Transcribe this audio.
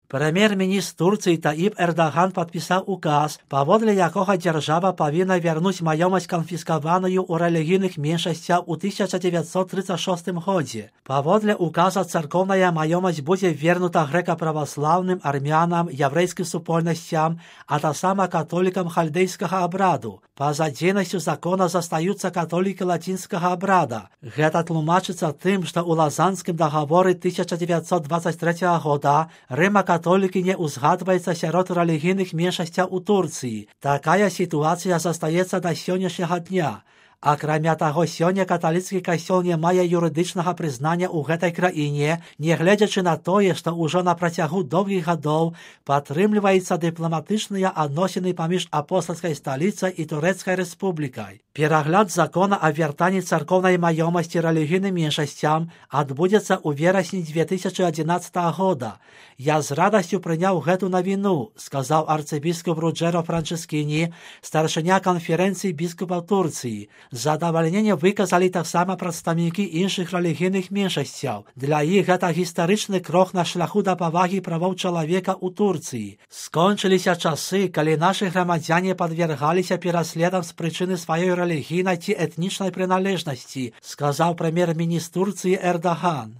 Прэм'ер-міністр Турцыі Таіп Эрдаган падпісаў указ, паводле якога дзяржава павінна вярнуць маёмасць канфіскаваную ў рэлігійных меншасцях у 1936 годзе. Паводле указа царкоўная маёмасць будзе вернута грэка-праваслаўным, армянам, яўрэйскім супольнасцям, а таксама католікам хальдейскага абраду. Па-за дзейнасцю закона застаюцца католікі лацінскага абрада. Гэта тлумачыцца тым, што ў Лазанскім дагаворы 1923 года рыма-католікі не ўзгадваецца сярод рэлігійных меншасцяў у Турцыі. Такая сітуацыя застаецца да сённяшняга дня. Акрамя таго, сёння каталіцкі касцёл не мае юрыдычнага прызнання ў гэтай краіне, нягледзячы на тое, што ўжо на працягу доўгіх гадоў падтрымліваецца дыпламатычныя адносіны паміж апостальскай сталіцай і Турэцкай рэспублікай. Перагляд закона о вяртанні царкоўнай маёмасці рэлігійным меншасцям адбудзецца ў верасні 2011 года. Я з радасцю прыняў гэту навіну, сказаў арцыбіскуп Руджэро Франчэскіні, старшыня канферэнцыі біскупаў Турцыі. Задавальненне выказалі таксама прадстаўнікі іншых рэлігійных меншасцяў. Для іх гэта гістарычны крок на шляху да павагі правоў чалавека ў Турцыі. Скончыліся часы, калі нашы грамадзяне падвергаліся пераследам з прычыны сваёй рэлігійнай ці этнічнай прыналежнасці, сказаў прэм'ер-міністр Турцыі Эрдаган.